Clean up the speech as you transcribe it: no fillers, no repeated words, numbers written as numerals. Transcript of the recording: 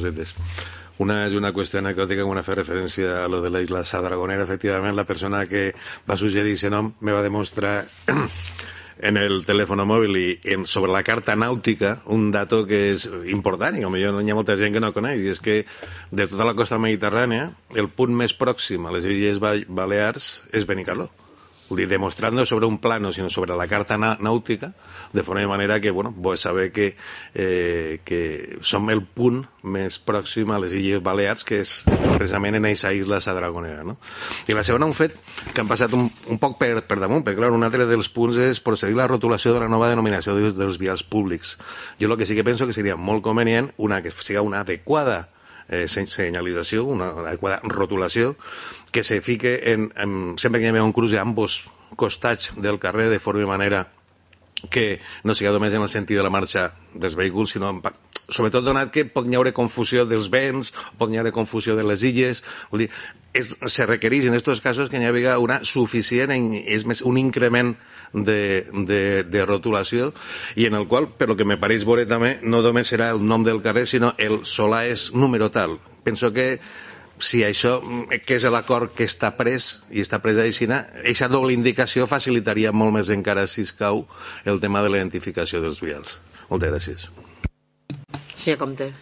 cosetes. Una és una qüestió anecdòtica, quan fa referència a lo de la isla Sadragonera. Efectivament, la persona que va suggerir aquest nom me va demostrar en el telèfon mòbil i sobre la carta nàutica un dato que és important i potser hi ha molta gent que no coneix, i és que de tota la costa mediterrània el punt més pròxim a les Illes Balears és Benicarló. Vull dir, demostrant-no sobre un plano, sinó sobre la carta nàutica, de forma manera que, bueno, vull saber que som el punt més pròxim a les Illes Balears, que és precisament en aquesta isla Sadragonera, no? I la segona, un fet que han passat un poc per damunt, perquè, clar, un altre dels punts és procedir la rotulació de la nova denominació dels vials públics. Jo el que sí que penso que seria molt convenient que sigui una adequada senyalització, una adequada rotulació, que se fique sempre que hi ha un cruce a ambos costats del carrer, de forma manera que no sigui només en el sentit de la marxa dels vehicles, sinó sobretot donat que pot haver confusió dels vents, pot haver confusió de les illes. Vull dir, se requereix en aquests casos que hi hagi una suficient, és més, un increment de rotulació, i en el qual, per lo que me pareix veure també, no només serà el nom del carrer, sinó el solar és número tal. Penso que si això, que és l'acord que està pres, i està pres així, aquesta doble indicació facilitaria molt més encara, si escau, el tema de la identificació dels vials. Moltes gràcies. Sí, Comte.